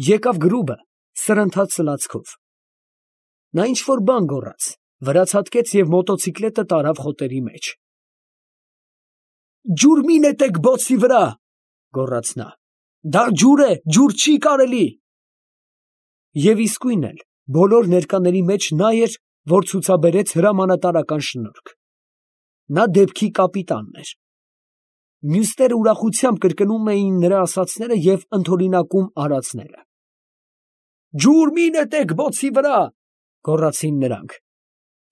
Եկավ գրուբը սրընթաց սլացքով։ Նա ինչ֊որ բան գոռաց, վրացատկեց և մոտոցիկլետը տարավ խոտերի մեջ։ «Ջուր մի նետեք բոցի վրա», գոռաց նա, «դա ջուր է, ջուր չի կարելի»։ Եվ իսկույն էլ բոլոր ներկաների մեջ նա էր, որ ցուցաբերեց հրամանատարական շնորհք։ Նա դեպքի կապիտանն էր։ Մյուսները ուրախությամբ կրկնում էին նրա ասածները և ընդօրինակում արածները։ «Ջուր մի նետեք բոցի վրա», գոռացին նրանք,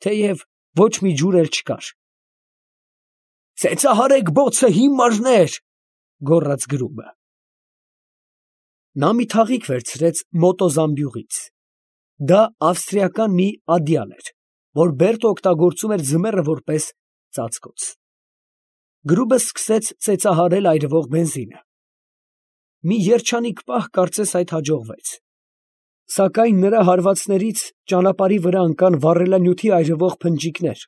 թեև ոչ մի ջուր էլ չկար։ «Ծեծահարեք բոցը, հիմարներ», գոռաց գրուբը։ Նա մի թաղիք վերցրեց մոտոզամբյուղից։ Դա ավստրիական մի ադյալ էր, որ Բերտը օգտագործում էր ձմեռը որպես ծածկոց։ Գրուբը սկսեց ծեծահարել այրվող բենզինը։ Մի երջանիկ պահ կարծես այդ հաջողվեց։ Սակայն նրա հարվածներից ճանապարհի վրա ընկան վառելանյութի այրվող փնջիկներ,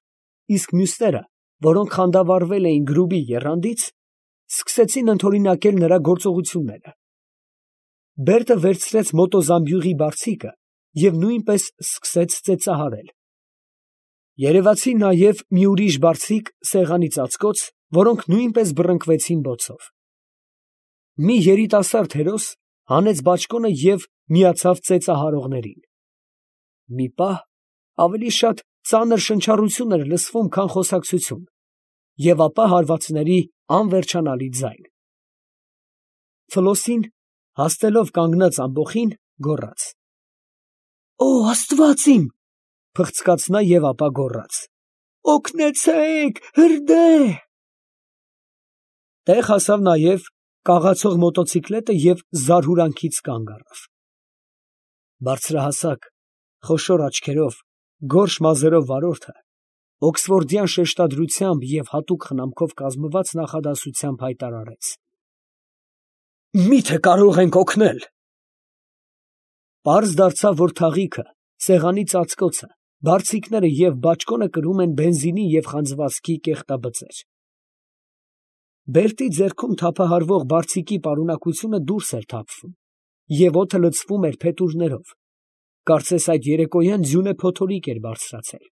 իսկ մյուսները, որոնք խանդավառվել էին գրուբի եռանդից, սկսեցին ընդօրինակել նրա գործողությունները։ Բերտը վերցրեց մոտոզամբյուղի բարձիկը և նույնպես սկսեց ծեծահարել։ Երևացին նաև մի ուրիշ բարձիկ սեղանի ծածկոց, որոնք նույնպես բռնկվեցին բոցով։ Մի երիտասարդ հերոս հանեց բաճկոնը և միացավ ծեծահարողներին։ Մի պահ ավելի շատ ծանր շնչառություն էր լսվում, քան խոսակցություն, և ապա հարվածների անվերջանալի ձայն։ Ֆլոսին, հաստելով կանգնած ամբոխին, գոռաց. «Օ աստված իմ», փղծկաց նա և ապա գոռաց. «Օգնեցե՛ք, հրդե՜»։ Տեղ հասավ նաև կաղացող մոտոցիկլետը և զարհուրանքից կանգ առավ։ Բարձրահասակ, խոշոր աչքերով, գորշ մազերով վարորդը օքսֆորդյան շեշտադրությամբ և հատուկ խնամքով կազմված նախադասությամբ հայտարարեց. «Մի՞թե կարող ենք օգնել»։ Պարզ դարձավ, որ թաղիքը, սեղանի ծածկոցը, բարձիկները և բաճկոնը կրում են բենզինի և խանձվածքի կեղտաբծեր։ Բերտի ձեռքում թափահարվող բարձիկի պարունակությունը դուրս էր թափվում, և օդը լցվում էր փետուրներով, կարծես այդ երեկոյան ձյունը փոթորիկ էր բարձրացել։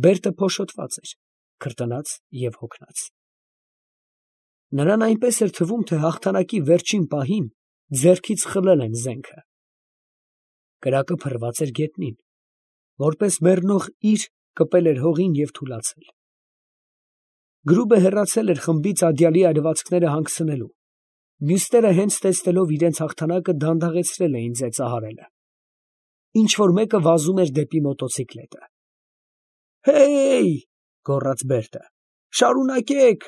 Բերտը փոշոտված էր, քրտնած և հոգնած։ Նրան այնպես էր թվում, թե հաղթանակի վերջին պահին ձեռքից խլել են զենքը։ Կրակը փռված էր գետնին, որպես մեռնող իր կպել էր հողին և թուլացել։ Գրուբը հեռացել էր խմբից ադյալի այրվածքները հանգցնելու, մյուսները հենց տեսնելով իրենց հաղթանակը դանդաղեցրել էին ծեծահարելը։ Ինչ֊որ մեկը վազում էր դեպի մոտոցիկլետը։ «Հե՜յ», գոռաց Բերտը, «շարունակեք»։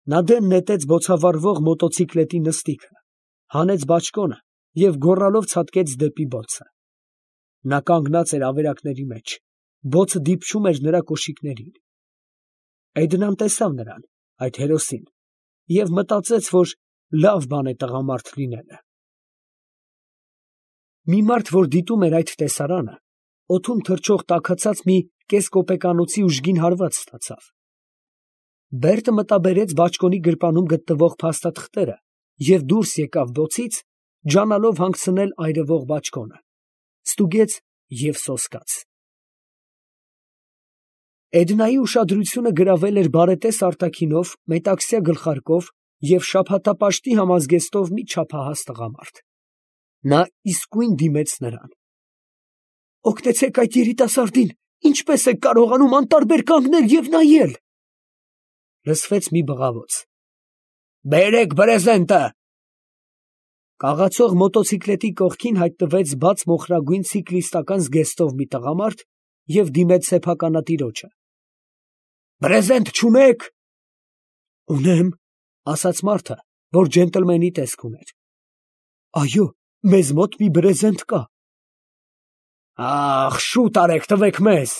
Նա դեն նետեց բոցավառվող մոտոցիկլետի նստիքը, հանեց բաճկոնը և գոռալով ցատկեց դեպի բոցը։ Նա կանգնած էր ավերակների մեջ, բոցը դիպչում էր նրա կոշիկներին։ Էդնան տեսավ նրան, այդ հերոսին, և մտածեց, որ լավ բան է տղամարդ լինելը։ Մի մարդ, որ դիտում էր այդ տեսարանը, օդում թռչող տաքացած մի կեսկոպեկանոցի ուժգին հարված ստացավ։ Բերտը մտաբերեց բաճկոնի գրպանում գտնվող փաստաթղթերը և դուրս եկավ բոցից, ջանալով հանգցնել այրվող բաճկոնը, ստուգեց և սոսկաց։ Էդնայի ուշադրությունը գրավել էր բարետես արտաքինով, մետաքսյա գլխարկով և շաբաթապաշտի համազգեստով մի չափահաս տղամարդ։ Նա իսկույն դիմեց նրան։ «Օգնեցեք այդ երիտասարդին, ինչպե՞ս եք կարողանում անտարբեր կանգնել և նայել», լսվեց մի բղավոց։ «Բերեք բրեզենտը»։ Կաղացող մոտոցիկլետի կողքին հայտնվեց բաց մոխրագույն ցիկլիստական զգեստով մի տղամարդ և դիմեց սեփականատիրոջը։ «Բրեզենտ չունե՞ք»։ «Ունեմ», ասաց մարդը, որ ջենտլմենի տեսք ուներ։ «Այո, մեզ մոտ մի բրեզենտ կա»։ «Ա՜խ, շուտ արեք, տվեք մեզ»։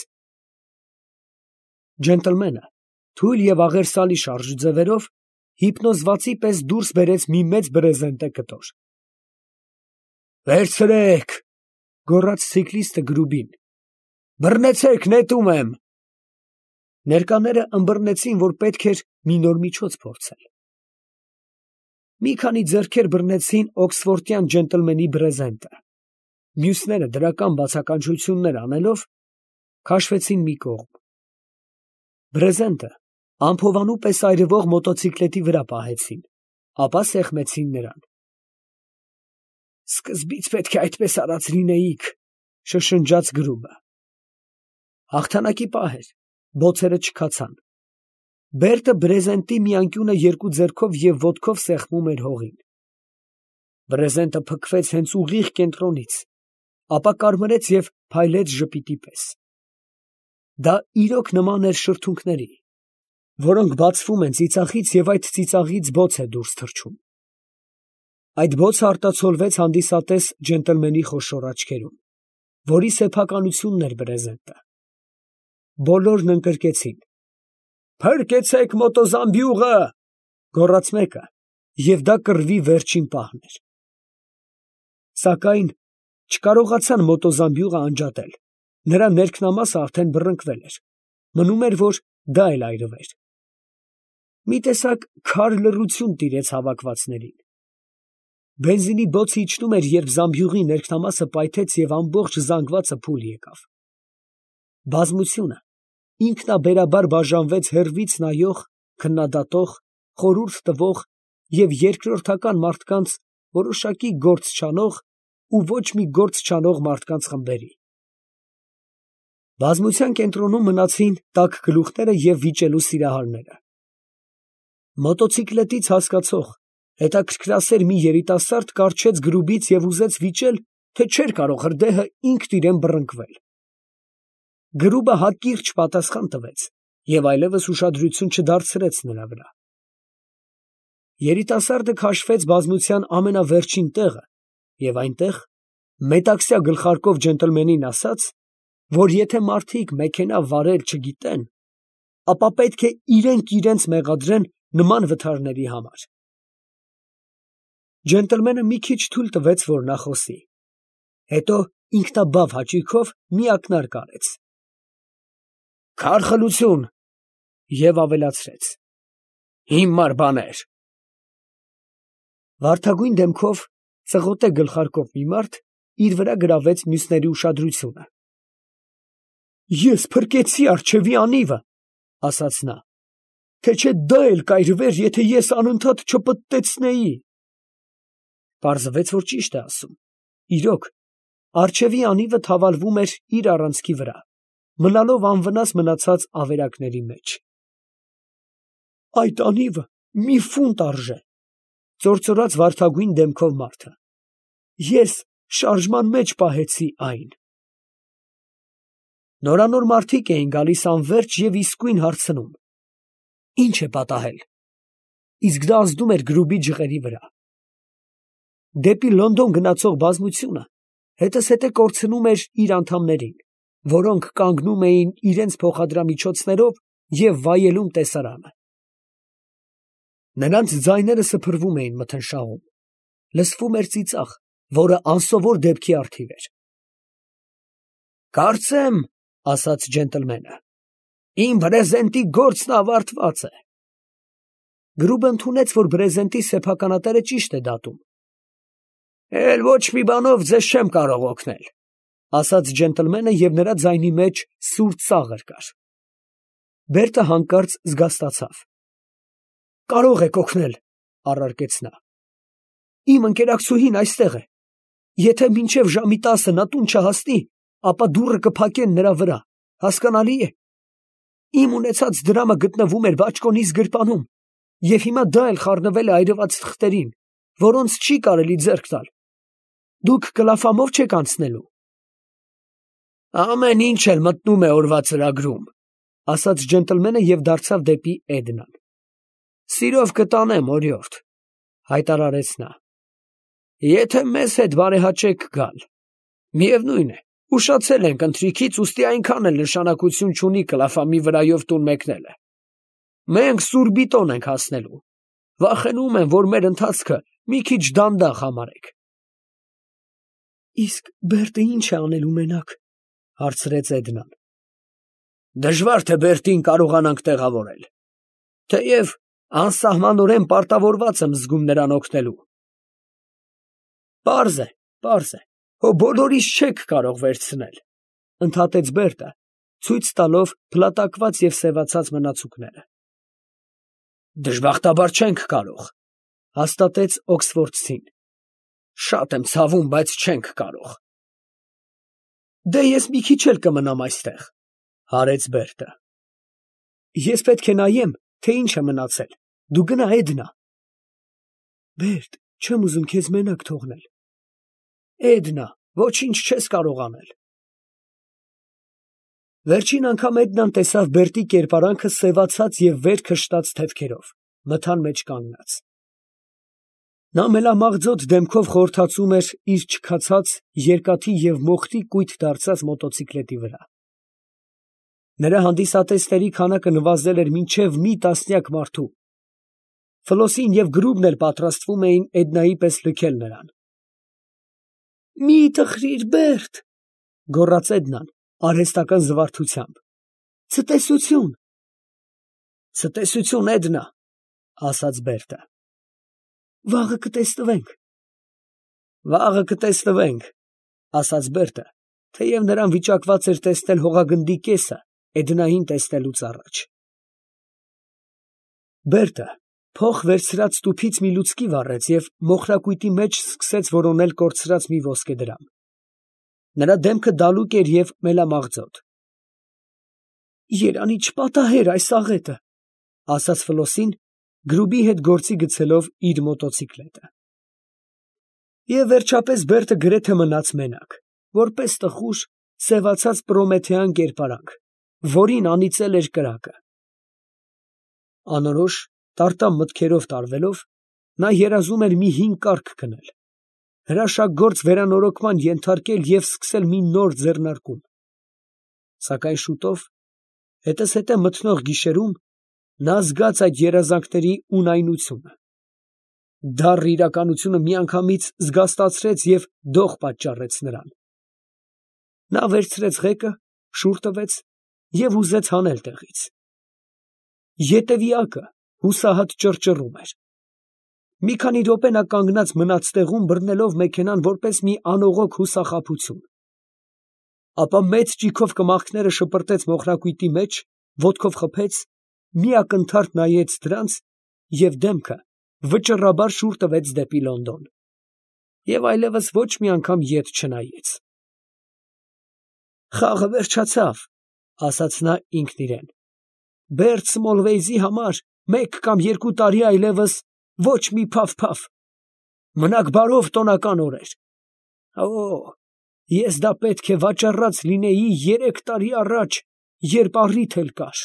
Ջենտլմենը թույլ և աղերսալի շարժ ձևերով հիպնոզվածի պես դուրս բերեց մի մեծ բրեզենտե կտոր։ «Վերցրե՛ք», գոռաց ցիկլիստը գրուբին, «բռնեցեք, նետում եմ»։ Ներկաները ըմբռնեցին, որ պետք էր մի նոր միջոց փորձել։ Մի քանի ձեռքեր բռնեցին օքսֆորդյան ջենտլմենի բրեզենտը, մյուսները դրական բացականչություններ անելով քաշվեցին մի կողմ։ Բրեզենտը ամփովանու պես այրվող մոտոցիկլետի վրա պահեցին, ապա սեղմեցին նրան։ Սկզբից պետք է այդպես արած լինեիք, շշնջաց Գրուբը։ Հաղթանակի պահ էր, բոցերը չքացան։ Բերտը բրեզենտի մի անկյունը երկու ձեռքով և ոտքով սեղմում էր հողին։ Բրեզենտը փքվեց հենց ուղիղ կենտրոնից, ապա կարմրեց և փայլեց ժպիտի պես։ Դա իրոք նման էր շրթունքների, որոնք բացվում են ծիծաղից և այդ ծիծաղից բոց է դուրս թռչում։ Այդ բոցը արտացոլվեց հանդիսատես ջենտլմենի խոշոր աչքերում, որի սեփականությունն էր բրեզենտը։ Բոլորն ընկրկեցին։ «Փրկեցեք մոտոզամբյուղը», գոռաց մեկը, և դա կռվի վերջին պահն էր։ Սակայն չկարողացան մոտոզամբյուղը անջատել, նրա ներքնամասը արդեն բռնկվել էր, մնում էր, որ դա էլ այրվեր։ Մի տեսակ քար լռություն տիրեց հավաքվածներին։ Բենզինի բոցը իջնում էր, երբ զամբյուղի ներքնամասը պայթեց և ամբողջ զանգվածը փուլ եկավ։ Բազմությունը ինքնաբերաբար բաժանվեց հեռվից նայող, քննադատող, խորհուրդ տվող և երկրորդական մարդկանց որոշակի գործ չանող ու ոչ մի գործ չանող մարդկանց խմբերի։ Բազմության կենտրոնում մնացին տաք գլուխները և վիճելու սիրահարները։ Մոտոցիկլետից հասկացող, հետաքրքրասեր մի երիտասարդ կառչեց Գրուբից և ուզեց վիճել, թե չէր կարող հրդեհը ինքն իրան բռնկվել։ Գրուբը հակիրճ պատասխան տվեց և այլևս ուշադրություն չդարձրեց նրա վրա։ Երիտասարդը քաշվեց բազմության ամենավերջին տեղը և այնտեղ մետաքսյա գլխարկով ջենտլմենին ասաց, որ եթե մարդիկ մեքենա վարել չգիտեն, ապա պետք է իրենք իրենց մեղադրեն նման վթարների համար։ Ջենտլմենը մի քիչ թույլ տվեց, որ նա խոսի, հետո ինքնաբավ հաճույքով մի ակնարկ արեց. «Քարխլություն» և ավելացրեց. «Հիմար բաներ»։ Վարդագույն դեմքով, ծղոտե գլխարկով մի մարդ իր վրա գրավեց մյուսների ուշադրությունը։ «Ես փրկեցի առջևի անիվը, ֊ ասաց նա, ֊ թե չէ դա էլ կայրվեր, եթե ես անընդհատ չպտտեցնեի»։ Պարզվեց, որ ճիշտ է ասում։ Իրոք, առջևի անիվը թավալվում էր իր առանցքի վրա, մնալով անվնաս մնացած ավերակների մեջ։ «Այդ անիվը մի ֆունտ արժե, ֊ ծործորաց վարդագույն դեմքով մարդը, ֊ ես շարժման մեջ պահեցի այն»։ Նորանոր մարդիկ էին գալիս անվերջ և իսկույն հարցնում. «Ի՞նչ է պատահել»։ Իսկ դա ազդում էր Գրուբի ջղերի վրա։ Դեպի Լոնդոն գնացող բազմությունը հետզհետե կորցնում էր իր անդամներին, որոնք կանգնում էին իրենց փոխադրամիջոցներով և վայելում տեսարանը։ Նրանց ձայները սփռվում էին մթնշաղում, լսվում էր ծիծաղ, որը անսովոր դեպքի առթիվ էր։ «Կարծեմ, ֊ ասաց ջենտլմենը, ֊ իմ բրեզենտի գործն ավարտված է»։ Գրուբը ընդունեց, որ բրեզենտի սեփականատերը ճիշտ է դատում։ «Էլ ոչ մի բանով ձեզ չեմ կարող օգնել», ֊ ասաց ջենտլմենը, և նրա ձայնի մեջ սուր ծաղր կար։ Բերտը հանկարծ զգաստացավ։ «Կարող եք օգնել, ֊ առարկեց նա, ֊ իմ ընկերակցուհին այստեղ է։ Եթե մինչև ժամի 10-ը նա տուն չհասնի, ապա դուռը կփակեն նրա վրա, հասկանալի է։ Իմ ունեցած դրամը գտնվում էր բաճկոնիս գրպանում, և հիմա դա էլ խառնվել է այրված թղթերին, որոնց չի կարելի ձեռք տալ։ Դուք կլափամով չեք անցնելու»։ «Ամեն ինչ էլ մտնում է օրվա ծրագրում», ֊ ասաց ջենտլմենը և դարձավ դեպի Էդնան։ «Սիրով կտանեմ, օրիորդ», ֊ հայտարարեց նա, ֊ եթե մեզ հետ բարեհաճեք գալ։ Միևնույն է, ուշացել ենք ընթրիքից, ուստի այնքան էլ նշանակություն չունի կլափամի վրայով տուն մեկնելը։ Մենք Սուրբիտոն ենք հասնելու։ Վախենում եմ, որ մեր ընթացքը մի քիչ դանդաղ համարեք։ «Իսկ Բերտը ի՞նչ է անելու մենակ, ֊ հարցրեց Էդնան։ ֊ Դժվար թե Բերտին կարողանանք տեղավորել։ Թեև Անսահմանորեն պարտավորված եմ զգում նրան օգնելու։ Պարզ է, հո բոլորիս չեք կարող վերցնել, ընդհատեց Բերտը, ցույց տալով փլատակված և սևացած մնացուկները։ Դժբախտաբար չենք կարող, հաստատեց օքսֆորդցին։ Շատ եմ ցավում, բայց չենք կարող։ Դե ես մի քիչ էլ կմնամ այստեղ, հարեց Բերտը։ Ես պետք է նայեմ, թե ինչ է մնացել, դու գնա Էդնա։ Բերտ, չեմ ուզում քեզ մենակ թողնել։ Էդնա, ոչինչ չես կարող անել։ Վերջին անգամ Էդնան տեսավ Բերտի կերպարանքը սևացած և վեր քշտած թևքերով, մթան մեջ կանգնած։ Նա մելամաղձոտ դեմքով խորհրդածում էր իր չքացած, երկաթի և մոխրի կույտ դարձած մոտոցիկլետի վրա։ Նրա հանդիսատեսների քանակը նվազել էր մինչև մի տասնյակ մարդու։ Ֆլոսին և Գրուբն էլ պատրաստվում էին Էդնայի պես լքել նրան։ Մի տխրիր, Բերտ, գոռաց Էդնան արհեստական զվարթությամբ։ Ցտեսություն։ Ցտեսություն, Էդնա, ասաց Բերտը։ Վաղը կտեսնվենք։ Վաղը կտեսնվենք, ասաց Բերտը, թեև նրան վիճակված էր տեսնել հողագնդի կեսը Էդնային տեսնելուց առաջ։ Բերտը փող վերցրած տուփից մի լուցկի վառեց և մոխրակույտի մեջ սկսեց որոնել կորցրած մի ոսկեդրամ։ Նրա դեմքը դալուկ էր և մելամաղձոտ։ Երանի չպատահեր այս աղետը, ասաց Ֆլոսին, Գրուբի հետ գործի գցելով իր մոտոցիկլետը։ Եվ վերջապես Բերտը գրեթե մնաց մենակ, որպես տխուր, սևացած պրոմեթեան կերպարանք, որին անիծել էր կրակը։ Անորոշ, տարտամ մտքերով տարվելով, նա երազում էր մի հին կառք քնել, հրաշագործ վերանորոգման ենթարկել և սկսել մի նոր ձեռնարկում։ Սակայն շուտով, հետզհետե մթնող գիշերում, նա զգաց այդ երազանքների ունայնությունը։ Դառն իրականությունը միանգամից զգաստացրեց և դող պատճառեց նրան։ Նա վերցրեց ղեկը, շուռ տվեց և ուզեց հանել տեղից։ Ետևյակը հուսահատ ճռճռում էր։ Մի քանի րոպե նա կանգնած մնաց տեղում, բռնելով մեքենան որպես մի անողոք հուսախաբություն։ Ապա մեծ ճիգով կմախքները շպրտեց մոխրակույտի մեջ, ոտքով խփեց, մի ակնթարթ նայեց դրանց և դեմքը վճռաբար շուռ տվեց դեպի Լոնդոն, և այլևս ոչ մի անգամ ետ չնայեց։ Խաղը վերջացավ, ասաց նա ինքն իրան։ Բերտ Սմոլվեյզի համար 1 կամ 2 տարի այլևս ոչ մի փավ։ Մնաք բարով տոնական օրեր։ Ես դա պետք է վաճառած լինեի 3 տարի առաջ, երբ առիթ էլ կար։